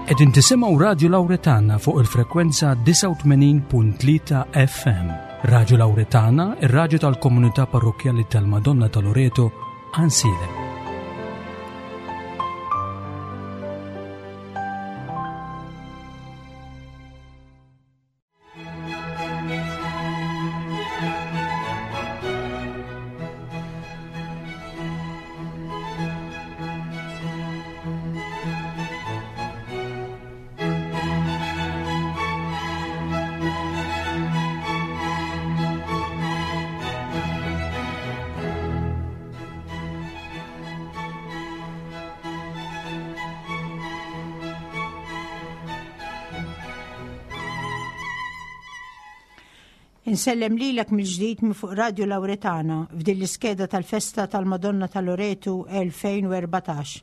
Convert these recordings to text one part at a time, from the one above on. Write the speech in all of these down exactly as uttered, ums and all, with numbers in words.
Qegħdin tisimgħu Radio Lauretana fuq il-frekwenza disgħa u tmenin punt tlieta F M. Radio Lauretana, ir-raġu tal-komunità parrokjali tal-Madonna ta' Loreto, Għajnsielem. Insellem lilek mill-ġdid minn fuq Radio Lauretana f'din l-iskeda tal-festa tal-Madonna tal-Loretu elfejn u erbatax.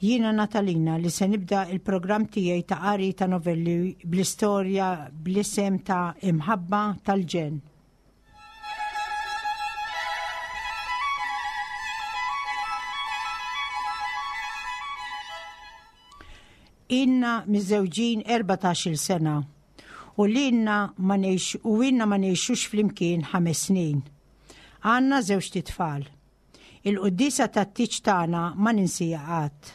Jiena Natalina li se nibda il-programm tiegħi ta' qari ta' novelli bl-istorja bl-isem ta' Imħabba tal-Ġenn. Ilna miżżewġin erbatax-il sena u lilna ma ngħix u ilna ma ngħixux flimkien ħames snin. Għandna żewġt itfal. Il-quddisa tat-tieġ tagħna ma ninsieha qatt.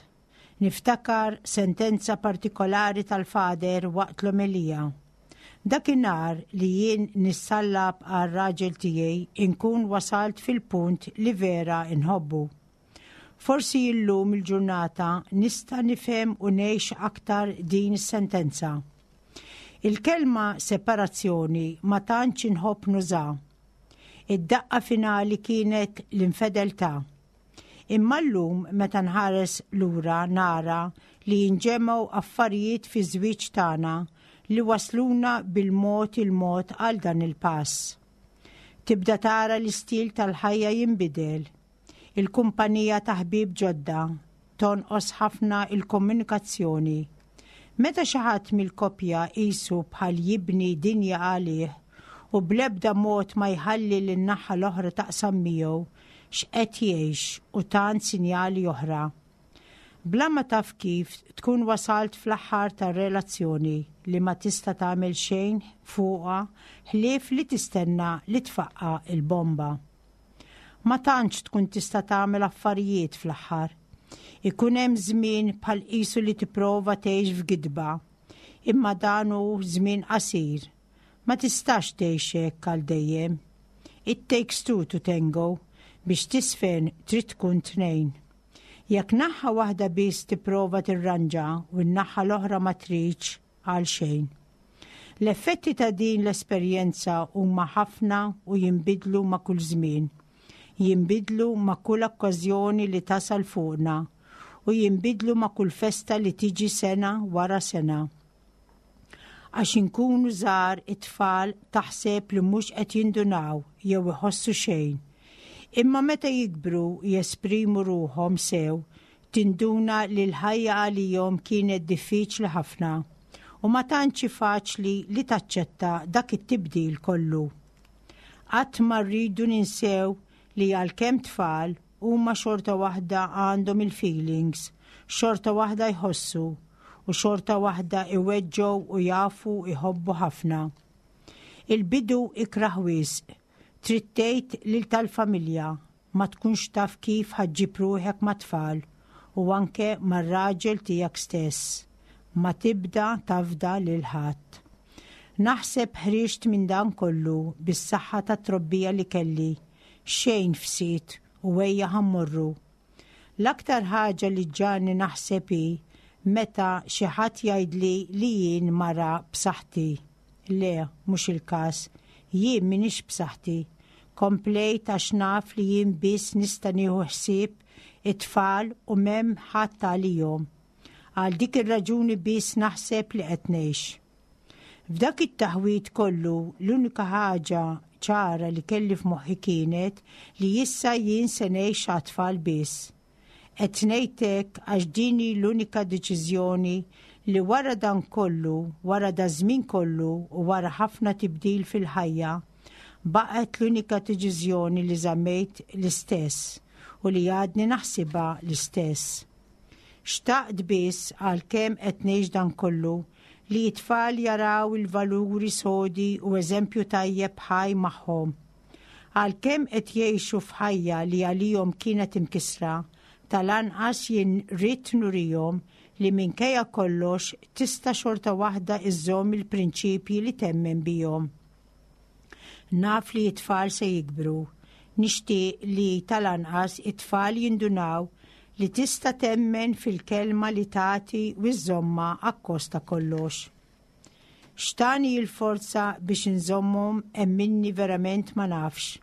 Niftakar sentenza partikolari tal-father waqt l-omelija. "Dakinhar li jien nissallab għal raġel tiegħi inkun wasalt fil-punt li vera inħobbu." Forsi illum il-ġurnata nista' nifhem u ngħix aktar din is-sentenza. Il-kelma separazzjoni ma tantx inħobb nuża. Id-daqqa finali kienet l-infedeltà. Imma llum meta nħares lura nara li jinġemgħu affarijiet fi żwieġ tagħna li wasluna bil-mod il-mod għal dan il-pass. Tibda tara l-istil tal-ħajja jinbidel, il-kumpanija ta' ħbieb ġodda, tonqos ħafna il-komunikazzjoni. Meta xi ħadd mill-koppja qisu bħal jibni dinja għalih u blebda mod ma jħalli lin-naħa l-oħra taqsam miegħu x'qed jgħix u tant sinjali oħra. Bla ma taf kif tkun wasalt fl-aħħar tar-relazzjoni li ma tista' tagħmel xejn fuqha ħlief li tistenna li tfaqqa il-bomba. Ma tantx tkun tista' tagħmel affarijiet fl-aħħar. Ikun hemm żmien bħal qisu li tipprova tgħix f'gidba, imma dan hu żmien qasir. Ma tistax tgħix hekk għal dejjem. It takes two to tango, biex tiżfen trid tkun tnejn. Jekk naħa waħda biss tipprova tirranġa u n-naħa l-oħra ma tridx, għal xejn. L-effetti ta' din l-esperjenza huma ħafna u jinbidlu ma' kull żmien. Jinbidlu ma' kull okkażjoni li tasal fuqna u jinbidlu ma' kull festa li tiġi sena wara sena. Għax inkunu żgħar it-tfal taħseb li mhux qed jindunaw jew iħossu xejn. Imma meta jikbru jesprimu ruħhom sew, tinduna li l-ħajja għalihom kienet diffiċli ħafna u ma tantx faċli li taċċetta dak it-tibdil kollu. Qatt ma rridu ninsew li għalkemm tfal huma xorta waħda għandhom il-feelings, xorta waħda jħossu u xorta waħda iweġġgħu u jafu iħobbu ħafna. Il-bidu ikrah wisq, trid tgħid lil tal-familja, ma tkunx taf kif ħa ġġib ruħek mat-tfal u anke mar-raġel tiegħek stess. Ma tibda tafda lil ħadd. Naħseb ħriġt minn dan kollu bis-saħħa ta' trobbija li kelli, xejn fsit u ejja ħa mmorru. L-aktar ħaġa li ġġagħalni naħseb hi meta xi ħadd jgħidli li jien mara b'saħħti. Le, mhux il-każ, jien m'iniex b'saħħti. Komplejt għax naf li jien biss nista' nieħu ħsieb it-tfal u m'hemm ħadd għalihom. Għal dik ir-raġuni biss naħseb li qed ngħix. F'dak it-taħwit kollu l-unika ħaġa ċara li kelli f'moħħi kienet li issa jien se ngħix għat-tfal biss. Qed ngħidlek għax din hi l-unika deċiżjoni li wara dan kollu, wara da żmien kollu u wara ħafna tibdil fil-ħajja, baqgħet l-unika deċiżjoni li żammejt l-istess u li għadni naħsibha l-istess. Xtaqt biss, għalkemm qed ngħix dan kollu, li t-tfal jaraw il-valuri sodi u eżempju tajjeb ħaj magħhom. Għalkemm qed jgħixu f'ħajja li għalihom kienet imkisra, tal-anqas jien ridt nurihom li minkejja kollox tista' xorta waħda iżżomm il-prinċipji li temmen bihom. Naf li t-tfal se jikbru. Nixtieq li tal-anqas it-tfal jindunaw li tista' temmen fil-kelma li tagħti u żżommha akkost ta' kollox. X'tani l-forza biex nżommhom emminni, verament ma nafx.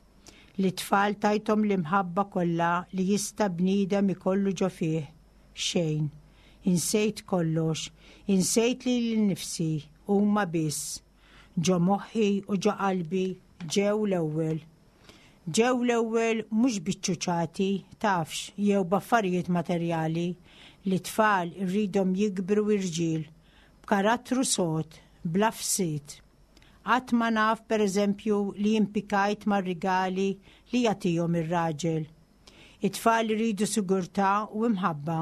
Lit-tfal tajthom l-imħabba kollha li jista' bniedem ikollu ġo fih. Xejn. Insejt kollox, insejt lili nnifsi, huma biss. Ġo moħħi u ġo qalbi ġew l-ewwel. Ġew l-ewwel mhux biċ-ċuċati, tafx, jew b'affarijiet materjali. Lit-tfal irridhom jikbru irġiel, b'karattru sod, bla fsit. Qatt ma naf, per eżempju, li impikajt mar-rigali li jagħtihom ir-raġel. It-tfal iridu sigurtà u imħabba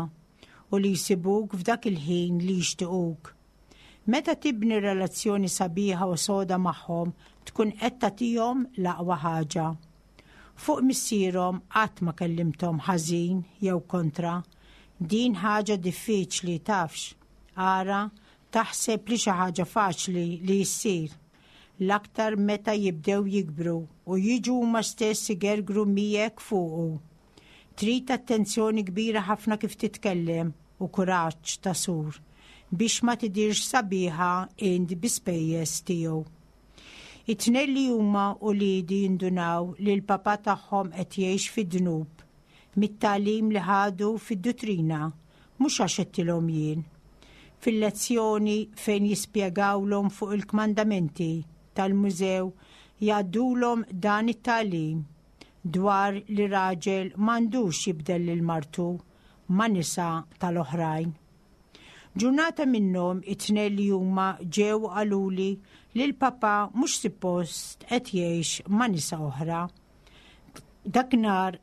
u li jsibuk f'dak il-ħin li jixtiquk. Meta tibni relazzjoni sabiħa u soda magħhom, tkun qed tagħtihom l-aqwa ħaġa. Fuq missierhom qatt ma kellimthom ħażin jew kontra. Din ħaġa diffiċli, tafx. Ara, taħseb li xi ħaġa faċli li jsir. L-aktar meta jibdew jikbru u jiġu huma stess igergru miegħek fuqu. Trid attenzjoni kbira ħafna kif titkellem u kuraġġ ta' sur biex ma tidirx sabiħa int bi spejjeż tiegħu. It-tnejn li huma uliedi jindunaw li l-papa tagħhom qed jgħix fid-dnub mit-tagħlim li ħadu fid-duttrina, mhux għax għedtilhom jien. Fil-lezzjoni fejn jispjegawlhom fuq il-kmandamenti tal-mużew jgħaddulhom dan it-tagħlim dwar li raġel m'għandux jibdel lil martu ma' nisa tal-oħrajn. Ġurnata minnhom it-tnejn li huma ġew qaluli li l-papa mhux suppost qed jgħix ma' nisa oħra. Daknar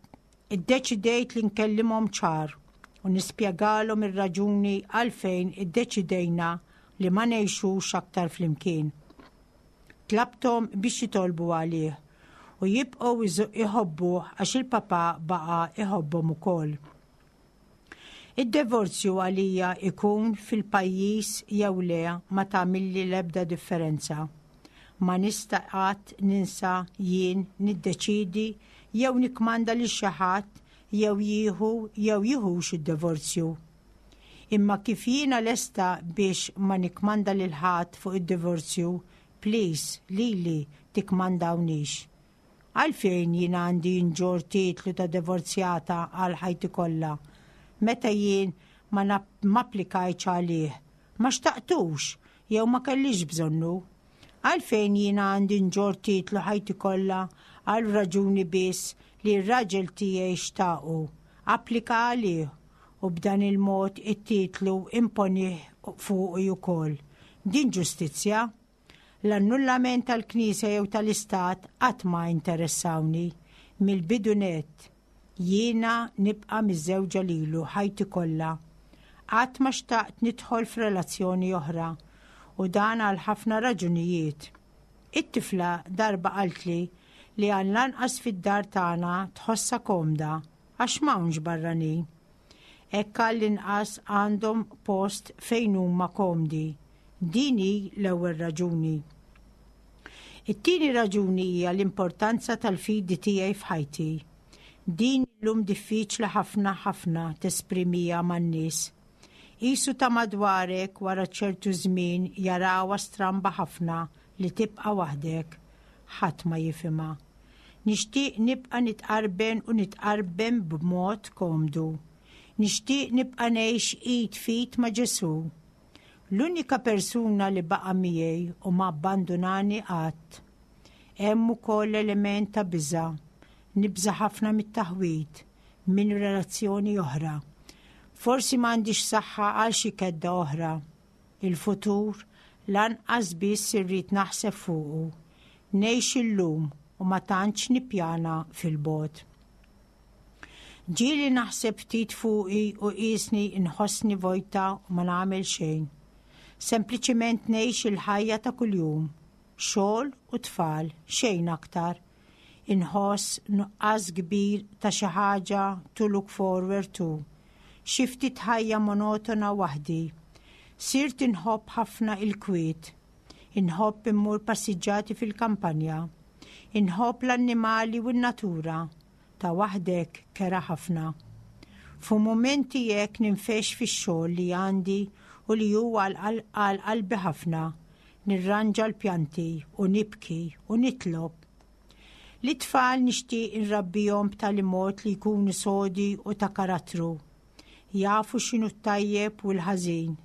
iddeċidejt li nkellimhom ċar u nispjegalhom ir-raġuni għalfejn iddeċidejna li ma ngħixux aktar flimkien. Tlabthom biex jitolbu għalih u jibqgħu iħobbuh għax il-papa baqa' iħobbhom ukoll. Id-divorzju għalija ikun fil-pajjiż jew le ma tagħmilli l-ebda differenza. Ma nista' qatt ninsa jien niddeċidi jew nikmanda lil xi ħadd jew jieħu jew jieħux id-divorzju. Imma kif jiena lesta biex ma nikmanda lil ħadd fuq id-divorzju, please lili tikkmandawnix. Għalfejn jien għandi nġorr titlu ta' divorzjata għal ħajti kollha, meta jien ma applikajtx għalih, ma xtaqtux jew ma kellix bżonnu? Għalfejn jien għandi nġorr titlu ħajti kollha għal raġuni biss li r-raġel tiegħi xtaqu, applika għalih u b'dan il-mod it-titlu imponih fuqi ukoll? Din ġustizzja? L-annullament tal-Knisja jew tal-Istat qatt ma interessawni mill-bidu net. Jiena nibqa' miżżewġa lilu ħajti kollha. Qatt ma xtaqt nidħol f'relazzjoni oħra u dan għal ħafna raġunijiet. It-tifla darba qaltli li għall-anqas fid-dar tagħna tħossha komda għax m'hawnx barranin. Hekk għall-inqas għandhom post fejn huma komdi. Din hi l-ewwel raġuni. It-tieni raġuni hija l-importanza tal-fidi tiegħi f'ħajti. Din illum diffiċli ħafna ħafna tesprimiha man-nies. Qisu ta' madwarek wara ċertu żmien jarawha stramba ħafna li tibqa' waħdek. Ħadd ma jifhimha. Nixtieq nibqa' nitqarben u nitqarben b'mod komdu. Nixtieq nibqa' ngħix id f'id ma' Ġesù. L-unika persuna li baqa' miegħi u ma abbandunani qatt. Hemm ukoll element ta' biża'. Nibża' ħafna mit-taħwid, minn relazzjoni oħra. Forsi m'għandix saħħa għal xi kedda oħra. Il-futur lanqas biss irrid naħseb fuqu. Ngħix illum u ma tantx nippjana fil-bogħod. Ġieli naħseb ftit fuqi u qisni nħossni vojta u ma nagħmel xejn. Sempliċiment ngħix il-ħajja ta' kuljum, xogħol u tfal, xejn aktar. Inħoss nuqqas kbir ta' xi ħaġa to look forward to. Xi ftit ħajja monotona waħdi. Sirt inħobb ħafna il-kwiet. Inħobb immur passiġġati fil-kampanja. Inħobb l-annimali u n-natura. Ta' waħdek kerha ħafna. Fu mumenti jekk ninfex fix-xogħol li għandi u li huwa għal qalbi ħafna. Nirranġa l-pjanti u nibki u nitlob. L-tfal nixtieq inrabbihom b'tali mod li jkunu sodi u ta' karattru. Jafu x'inhu t-tajjeb u l-ħażin.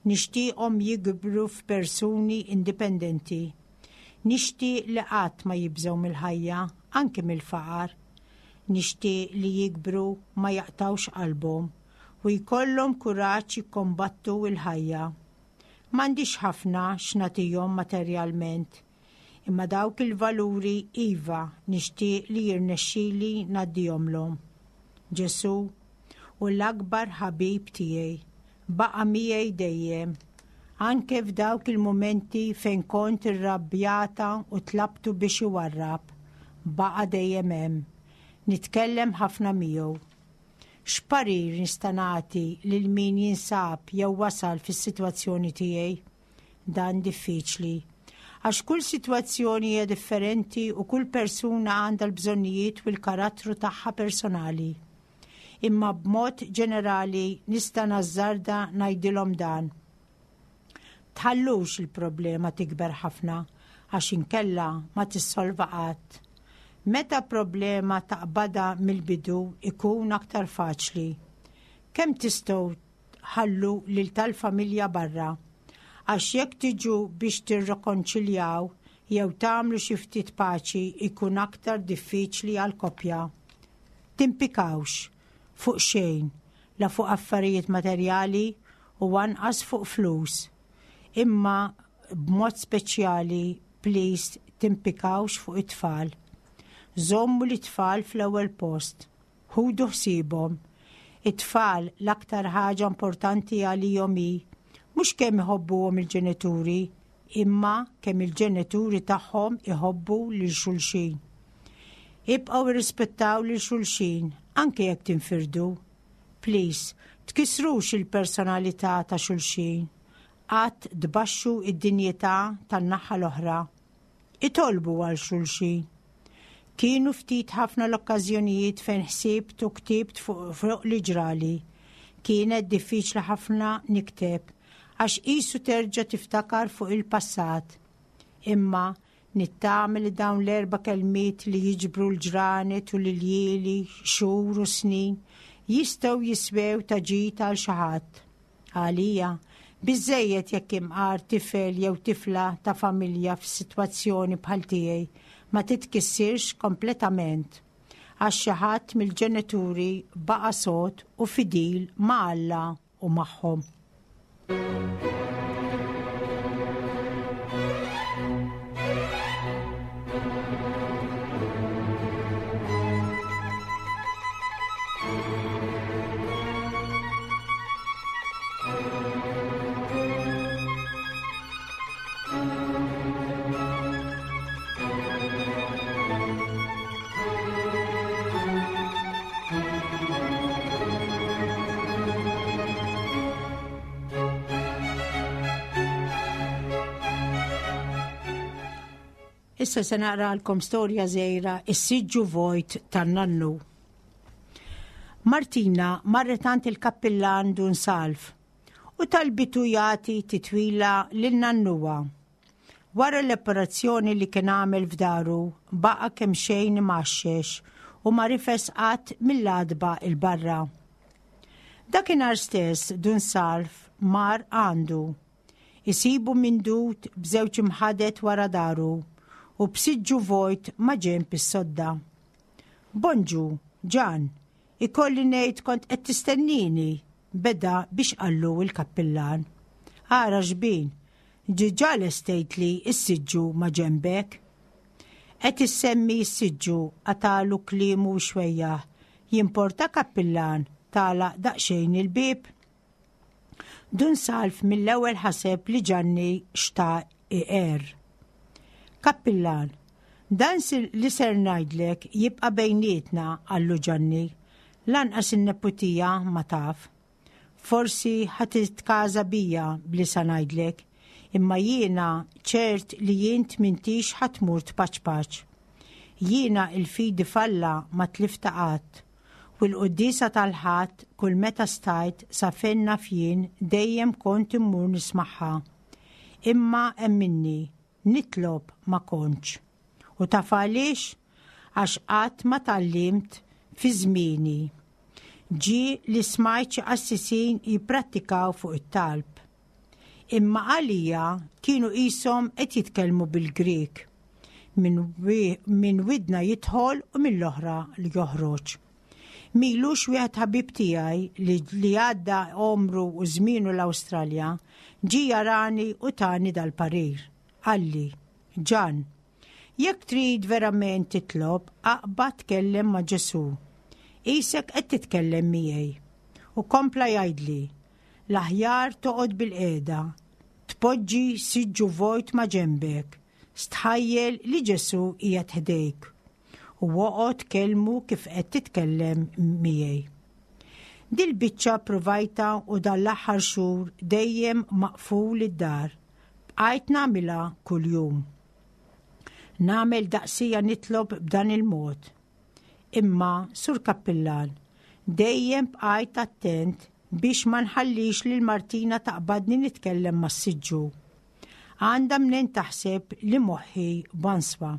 Nixtieqhom jikbru f'persuni indipendenti. Nixtieq li qatt ma jibżgħu mill-ħajja, anke mill-faqar. Nixtieq li jikbru ma jaqtawx qalbhom u jkollhom kuraġġ jikkombattu l-ħajja. M'għandix ħafna x'nagħtihom materjalment, imma dawk il-valuri iva nixtieq li jirnexxili ngħaddihomlhom. Ġesu hu l-akbar ħabib tiegħi, baqa' miegħi dejjem, anke f'dawk il-mumenti fejn kont irrabjata u tlabtu biex iwarrab, baqa' dejjem hemm. Nitkellem ħafna miegħu. X'parir nista' nagħti lil min jinsab jew wasal fis-sitwazzjoni tiegħi? Dan diffiċli. Għax kull sitwazzjoni hija differenti u kull persuna għandha l-bżonnijiet u l-karattru tagħha personali. Imma b'mod ġenerali nista' nażżarda ngħidilhom dan. Tħallux il-problema tikber ħafna għax inkella ma tissolva qatt. Meta problema taqbadha mill-bidu ikun aktar faċli. Kemm tistgħu ħallu lil tal-familja barra? Għax jekk tiġu biex tirrikonċiljaw jew tagħmlu xi ftit paċi ikun aktar diffiċli għal koppja. Timpikawx fuq xejn, la fuq affarijiet materjali u anqas fuq flus. Imma b'mod speċjali, please, timpikawx fuq it-tfal. Żommu l-tfal fl-ewwel post. Ħudu ħsiebhom. It-tfal l-aktar ħaġa importanti għalihom hi mhux kemm iħobbuhom il-ġenituri, imma kemm il-ġenituri tagħhom iħobbu lil xulxin. Ibqgħu irrispettaw lil xulxin anke jekk tinfirdu. Please, tkissrux il-personalità ta' xulxin. Qatt tbaxxu id-dinjità tan-naħa l-oħra. Itolbu għal xulxin. Kienu ftit ħafna l-okkażjonijiet fejn ħsibt u ktibt fuq li ġrali. Kienet diffiċli ħafna nikteb għax qisu terġa' tiftakar fuq il-passat. Imma nittama li dawn l-erba' kelmiet li jiġbru l-ġranet u l-iljieli, xhur u snin, jistgħu jiswew ta' ġid għal xi ħadd. Għalija, biżżejjed jekk imqar tifel jew tifla ta' familja f'sitwazzjoni bħal tiegħi ma titkissirx kompletament għax xi ħadd mill-ġenituri baqa' sod u fidil ma' Alla u magħhom. Issa se naqralkom storja żgħira, is-siġġu vojt tan-nannu. Martina marret għand il-kappillan Dun Salv u talbitu jagħti titwila lil nannuha. Wara l-operazzjoni li kien għamel f'daru, baqa' kemm xejn imgħaxxex u ma rifes qatt mill-għatba 'l barra. Dakinhar stess Dun Salv mar għandu. Isibu mindut b'żewġ imħadet wara daru u b'siġġu vojt ma' ġenb is-sodda. Bonġu, Ġan, ikolli ngħid kont qed tistennini, beda biex qallu il-kappillan. Ara xbin, ġiġa lestejtli s-siġġu ma' ġenbek. Qed issemmi s-siġġu qatalu kliemu xwejjaħ, Jimporta kappillan tagħlaq daqsxejn il-bieb? Dun Salv mill-ewwel ħaseb li Ġanni xtaq iqer. Kappillan, dan li ser ngħidlek jibqa' bejnietna, qallu Ġanni, lanqas in-neputija ma taf. Forsi ħa titkaża bija bli sa ngħidlek, imma jiena ċert li jint m'intix ħa tmur tpaċpaċ. Jiena il-fidi f'Alla ma tliftha qatt, u l-quddiesa tal-Ħadd kull meta stajt sa fejn naf jien dejjem kont immur nismagħha. Imma emminni, nitlob ma kontx. U taf għaliex? Għax qatt ma tgħallimt fi żmieni. Ġie li smajt xi qassisin jipprattikaw fuq it-talb. Imma għalija kienu qishom qed jitkellmu bil-Grek. Minn widna jidħol u mill-oħra li joħroġ. M'ilux wieħed ħabib tiegħi li, li għadda għomru u żmienu l-Awstralja ġie jarani u tani dal-parir. Qalli, Ġan, jekk trid verament titlob, aqbad tkellem ma' Ġesu. Qisek qed titkellem miegħi. U kompla jgħidli, l-aħjar toqgħod bilqiegħda, tpoġġi siġġu vojt ma' ġembek, stħajjel li Ġesu qiegħed ħdejk u oqgħod kellmu kif qed titkellem miegħi. Dil-biċċa provajtha u dal-aħħar xhur dejjem maqful id-dar. Bqajt nagħmilha kuljum. Nagħmel daqsija nitlob b'dan il-mod. Imma, Sur Kappillan, dejjem bqajt attent biex ma nħallix lil Martina taqbadni nitkellem mas-siġġu. Għandha mnejn taħseb li moħħi banswa.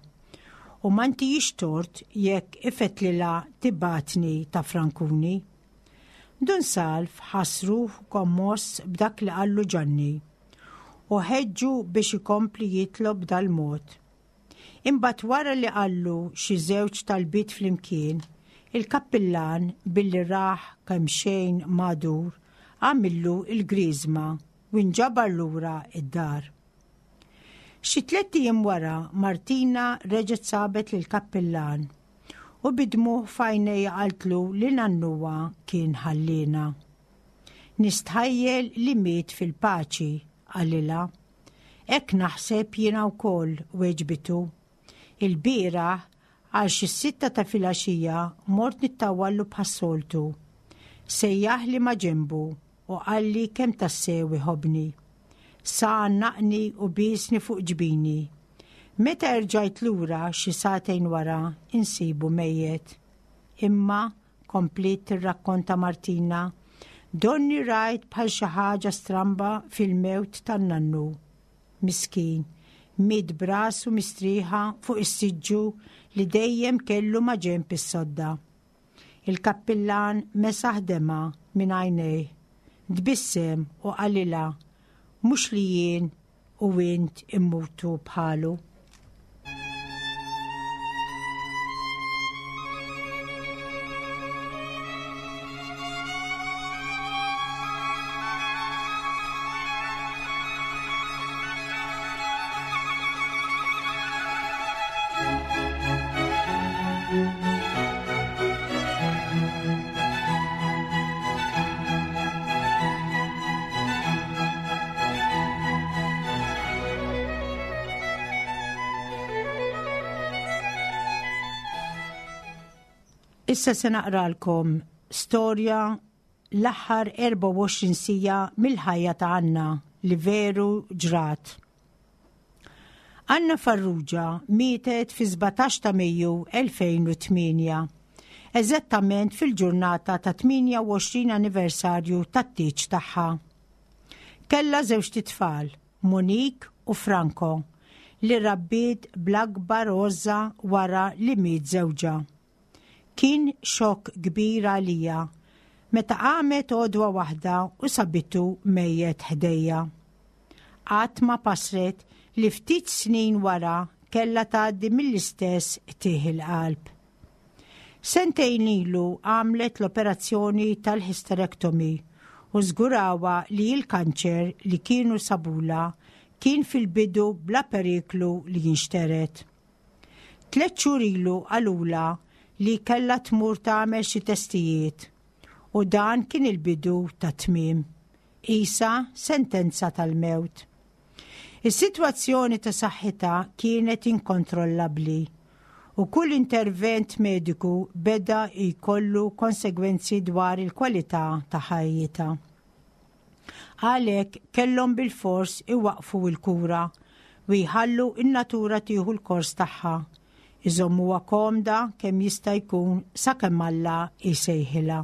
U ma ntihiex tort jekk ifettlilha tibgħatni ta' Frankuni. Dun Salv ħass ruħu kommoss b'dak li qallu Ġanni u ħeġġu biex ikompli jitlob dal-mod. Imbagħad wara li qallu xi żewġ talbiet flimkien, il-kappillan billi rah kemm xejn madur għamillu il-griżma u nġabar lura id-dar. Xi tlett ijiem wara Martina reġgħet sabet lill-kappillan u bid-dmugħ f'għajnejha qaltlu li nannuha kien ħallina. Nistħajjel li miet fil-paċi, qalilha. Hekk naħseb jiena wkoll, weġbitu. Il-bieraħ għal xi sitta ta' filgħaxija mort nittawallu bħas-soltu. Sejjaħli ma' ġembu u qalli kemm tassew iħobbni. Sa għannaqni u biesni fuq ġbini. Meta erġajt lura xi sagħtejn wara insibu mejjet. Imma, kompliet tirrakkonta Martina, donni rajt bħal xi ħaġa stramba fil-mewt tan-nannu. Miskin, miet b'rasu mistrieħa fuq is-siġġu li dejjem kellu ma' ġenb is-sodda. Il-kappillan mesaħ dema minn għajnejh, tbissem u qalilha, mhux li jien u int immutu bħalu. Issa se naqralkom storja l-aħħar erbgħa u għoxrin siegħa mill-ħajja ta' Anna li veru ġrat. Anna Farrugia mietet fi sbatax ta' Mejju elfejn u tmienja, eżattament fil-ġurnata ta' tmienja u għoxrin anniversarju tat-tieġ tagħha. Kellha żewġt itfal, Monique u Franco, li rabbiet bl-akbar għożża wara li miet żewġha. Kien xokk kbir għalija meta qamet għodwa waħda u sabitu mejjet ħdejja. Qatt ma pasret li ftit snin wara kellha tgħaddi mill-istess qtigħ il-qalb. Sentejn ilu għamlet l-operazzjoni tal-hysterectomy u żgurawha li l-kanċer li kienu sabula kien fil-bidu bla periklu li jinxteret. Tliet xhur ilu qalula li kellha tmur tagħmel xi testijiet u dan kien il-bidu ta' tmiem. Isa sentenza tal-mewt. Is-sitwazzjoni ta' saħħitha kienet inkontrollabbli u kull intervent mediku beda jkollu konsegwenzi dwar il-kwalità ta' ħajjitha. Għalhekk kellhom bil-fors iwaqfu l-kura u jħallu in-natura tieħu l-kors tagħha. Iżommuha komda kemm jista' jkun sakemm Alla jsejħilha.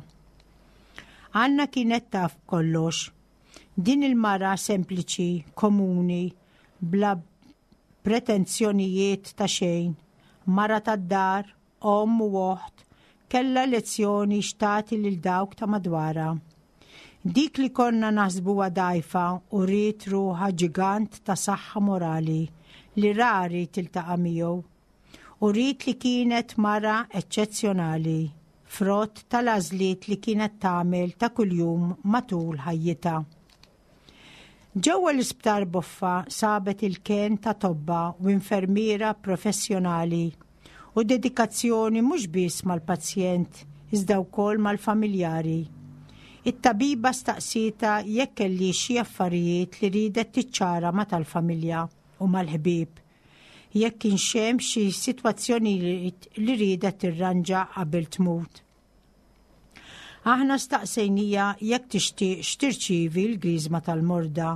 Anna kienet taf kollox. Din il-mara sempliċi, komuni, bla pretenzjonijiet ta' xejn, mara tad-dar, omm u oħt, kella lezzjoni x'tagħti lil dawk ta' madwarha. Dik li konna naħsbuha dgħajfa uriet ruħha ġigant ta' saħħa morali li rari tiltaqa' miegħu. Uriet li kienet mara eċċezzjonali, frott tal-għażliet li kienet tagħmel ta' kuljum matul ħajjitha. Ġewwa l-isptar Boffa sabet il-ken ta' tobba u infermiera professjonali u dedikazzjoni mhux biss mal-pazjent iżda wkoll mal-familjari. It-tabiba staqsietha jekk kellhiex xi affarijiet li ridet tiċċara ma' tal-familja u mal-ħbieb. Jekk kienx hemm xi sitwazzjonijiet li ridet tirranġa qabel tmut. Aħna staqsejnieha jekk tixtieq tirċievi l-griżma tal-morda.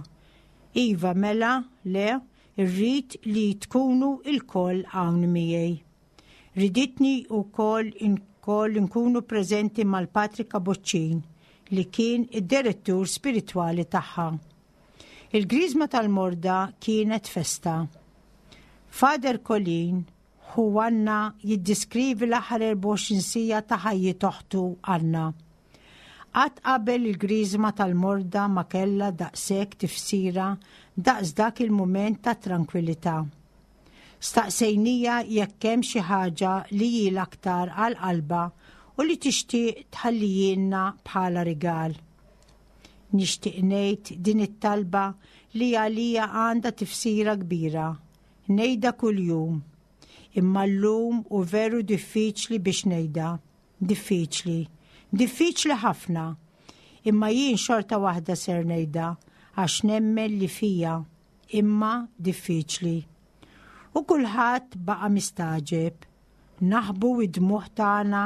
Iva mela, le, irrid li tkunu lkoll hawn miegħi. Riditni wkoll inkoll nkunu preżenti mal-Patri Kaboċċin li kien id-direttur spiritwali tagħha. Il-griżma tal-morda kienet festa. Father Colin ħu Anna jiddiskrivi l-aħħar erbgħa u għoxrin siegħa ta' ħajjet oħtu Anna. Qatt qabel il-griżma tal-morda ma kella daqshekk tifsira daqs dak il-mument ta' tranquillità. Staqsejnieha jekk hemm xi ħaġa li hi l-aktar għal qalbha u li tixtieq tħallihielna bħala rigal. Nixtieq ngħid din it-talba li għalija għandha tifsira kbira. Ngħidha kuljum. Imma llum hu veru diffiċli biex ngħidha. Diffiċli. Diffiċli ħafna. Imma jien xorta waħda ser ngħidha għax nemmen li fija. Imma diffiċli. U kulħadd baqa' mistagħġeb. Naħbu id-dmugħ tagħna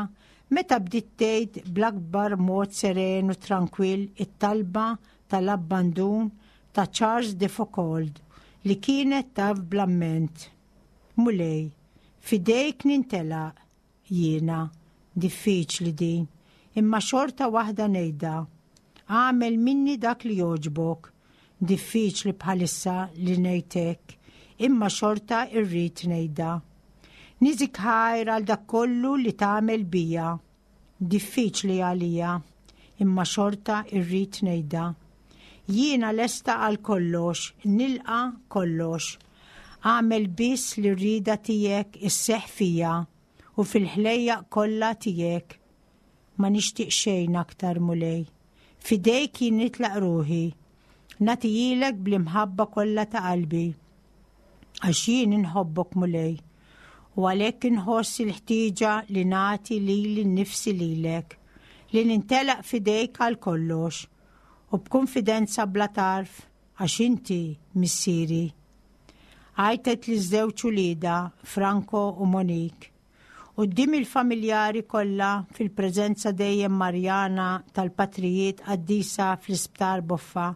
meta bdiet tgħid bl-akbar mod seren u trankwill it-talba tal-abbandun ta' Charles de Foucauld li kienet taf bl-amment. Mulej, f'idejk nintelaq jiena, diffiċli din, imma xorta waħda ngħidha. Agħmel minni dak li jogħġbok, diffiċli bħalissa li ngħidlek, imma xorta irrid ngħidha. Niżżik ħajr għal dak kollu li tagħmel bija. Diffiċli għalija, imma xorta irrid ngħidha. Jiena lesta għal kollox, nilqa kollox. Agħmel biss li r-rieda tiegħek isseħħ fija u fil-ħlejjaq kollha tiegħek. Ma nixtieq xejn aktar, Mulej. F'idejk jien nitlaq ruħi. Nagħtihilek bl-imħabba kollha ta' qalbi. Għax jien inħobbok, Mulej. U għalhekk inħoss il-ħtieġa li nagħti lili nnifsi lilek, li nintelaq f'idejk għal kollox u b'konfidenza bla tarf għax inti missieri. Għajtet liż-żewġ uliedha, Franco u Monique. Quddiem il-familjari kollha fil-preżenza dejjem Marjana tal-patrijiet qaddisa fl-isptar Boffa,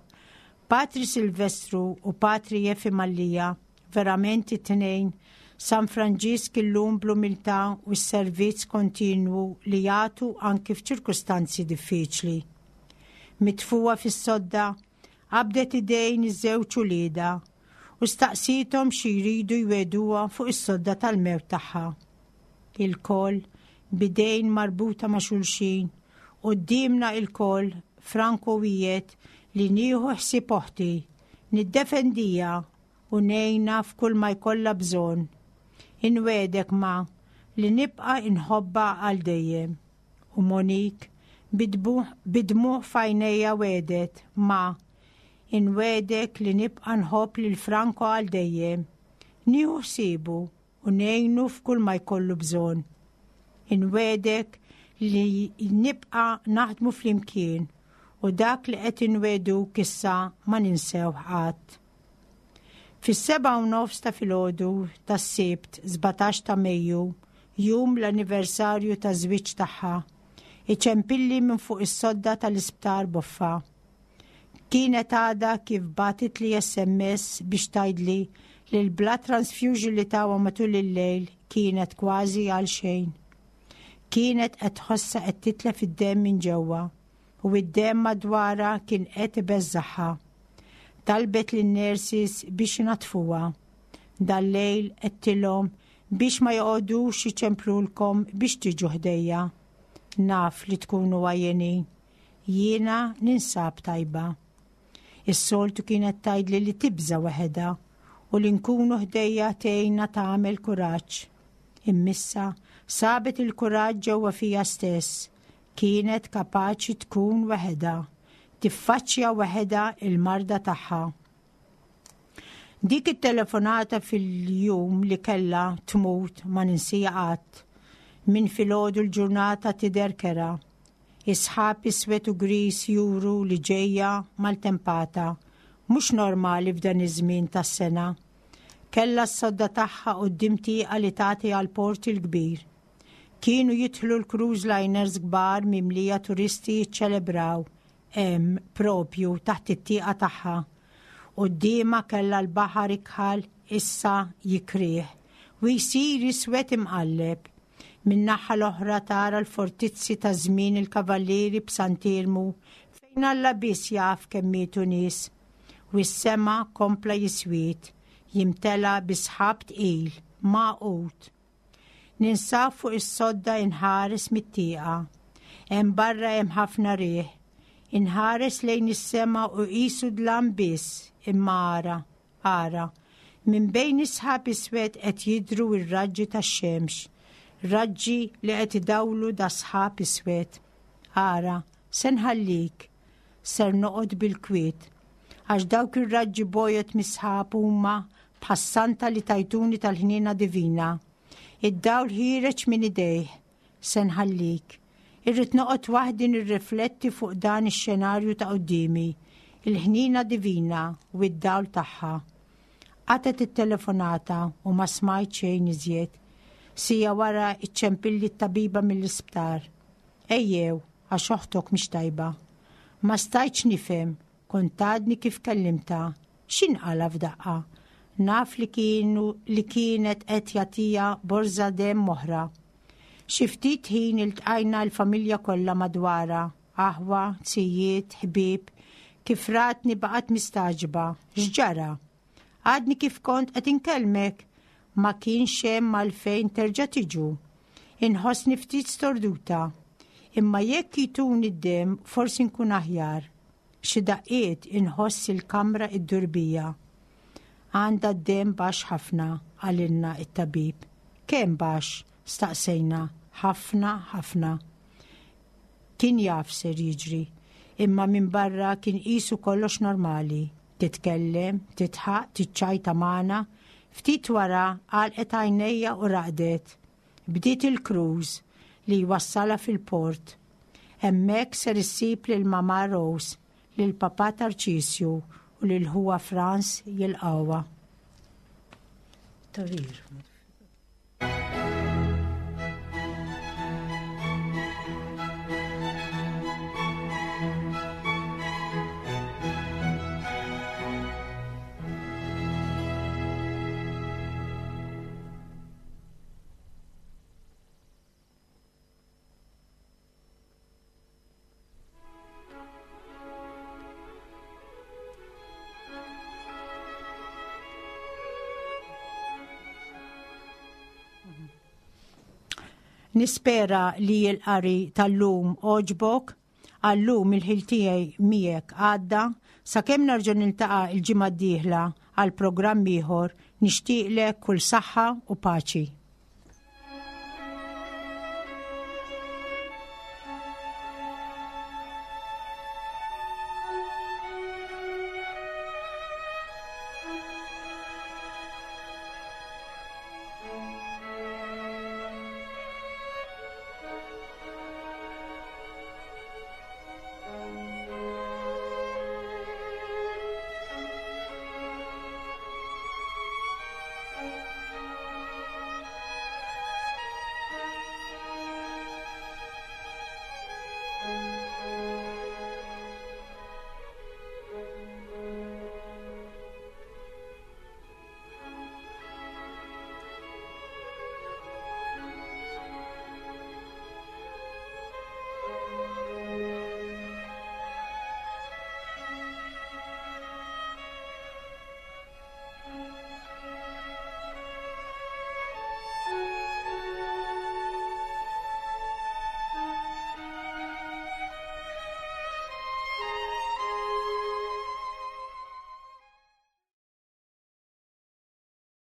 Patri Silvestru u Patri Jefi Mallija, verament it-tnejn, San Franġisk illum bl-umiltà u s-servizz kontinwu li jagħtu anki f'ċirkustanzi diffiċli. Mitfugħa fis-sodda, qabdet idejn iż-żewġ uliedha u staqsiethom xi jridu jwegħduha fuq is-sodda tal-mewt tagħha. Ilkoll b'idejn marbuta ma' xulxin, quddiemna lkoll Franco wiegħed li nieħu ħsieb oħti, niddefendiha u ngħinha f'kull ma jkollha bżonn. Inwiegħdek, ma, li nibqa' inħobbha għal dejjem. U Monique bid-dmugħ f'għajnejha wegħdet, ma, inwiegħdek li nibqa' nħobb lil Franco għal dejjem. Nieħu ħsiebu u ngħinu f'kull ma jkollu bżonn. Inwegħdek li nibqa' naħdmu flimkien u dak li qed inwegħduk issa ma ninsew qatt. Fis-sebgħa u nofs ta' filgħodu tas-Sibt sbatax ta' Mejju, jum l-anniversarju ta' żwieġ tagħha, iċempilli minn fuq is-sodda tal-isptar Boffa. Kienet għadha kif bagħtitli S M S biex tgħidli li l-blood transfusion li tawha matul il-lejl kienet kważi għal xejn. Kienet qed tħossha qed titlef id-demm minn ġewwa u id-demm madwarha kien qed ibeżżagħha. Talbet lin-nurses biex inaddfuha. Dal-lejl għedtilhom biex ma joqogħdux iċemplulkom biex tiġu ħdejja. Naf li tkunu għajjenin. Jiena ninsab tajba. Is-soltu kienet tgħidli li tibża' waħedha u li nkunu ħdejja tgħinha tagħmel kuraġġ. Imma issa sabet il-kuraġġ ġewwa fija stess. Kienet kapaċi tkun waħedha, tiffaċċja waħedha il-marda tagħha. Dik it-telefonata fil-jum li kella tmut ma ninsieha qatt. Minn filgħodu l-ġurnata tidher kerha. Is-sħab iswed u gris juru li ġejja maltempata, mhux normali f'dan iż-żmien tas-sena. Kella s-sodda tagħha quddiem tieqa li tagħti għal Port il-Kbir. Kienu jidħlu l-cruise liners kbar mimlija turisti jiċċelebraw hemm propju taħt it-tieqa tagħha. Quddiemha kellha l-baħar ikħal issa jikrieħ u jsir iswed imqalleb. Min-naħa l-oħra tara l-fortizzi ta' żmien il-kavallieri b'Sant'Iermu fejn Alla biss jaf kemm mietu nies. U s-sema kompla jiswid, jimtela bi sħab tqil, magħqud. Ninsab fuq is-sodda inħares mit-tieqa. Hemm barra hemm ħafna riħ. Inħares lejn is-sema u qisu dlam biss, imma ara, ara. Minn bejn is-sħab iswed qed jidhru r-raġġi tax-xemx, raġġi li qed idawlu das-sħab iswed. Ara, se nħallik, ser noqgħod bil-kwiet, għax dawk ir-raġġi bojod mis-sħab huma bħas-santa li tajtuni tal-ħniena divina. Id-dawl ħiereġ minn idejh, se nħallik. Irrid noqgħod waħdi nirrifletti fuq dan ix-xenarju ta' quddiemi, il-ħniena divina u d-dawl tagħha. Qatgħet it-telefonata u ma smajt xejn iżjed. Siegħa wara iċċempilli t-tabiba mill-isptar. Ejjew, għax oħtok mhix tajba. Ma stajtx nifhem, kont għadni kif kellimtha, x'inqala f'daqqa. Naf li kienu li kienet qed jagħtiha borża demm oħra. Xi ftit ħin iltqajna l-familja kollha madwarha, aħwa, zijiet, ħbieb, kif ratni baqgħet mistagħġba. X'ġara? Għadni kif kont qed inkellmek, ma kienx hemm għalfejn terġa' tiġu. Inħossni ftit storduta. Imma jekk jtuni d-demm forsi nkun aħjar. Xi daqqiet inħoss il-kamra iddur bija. Għandha d-demm baxx ħafna, qalilna it-tabib. Kemm baxx? Staqsejna. Ħafna, ħafna. Kien jaf ser jiġri, imma minn barra kien qisu kollox normali. Titkellem, tidħaq, tiċċajta magħna. Ftit wara għalqet għajnejha u raqdet. Bdiet il-cruise li jwassalha fil-port. Hemmhekk ser issib lil Mama Rose, lil Papa Tarċisju u lil ħuha Frans jilqawha. Tarir. Nispera li l-qari tal-lum għoġbok, għal-lum il-ħin tiegħi miegħek għadda, sakemm nerġgħu niltaqa' il-ġimgħa d-dieħla għal programm ieħor, nixtieqlek kull saħħa u paċi.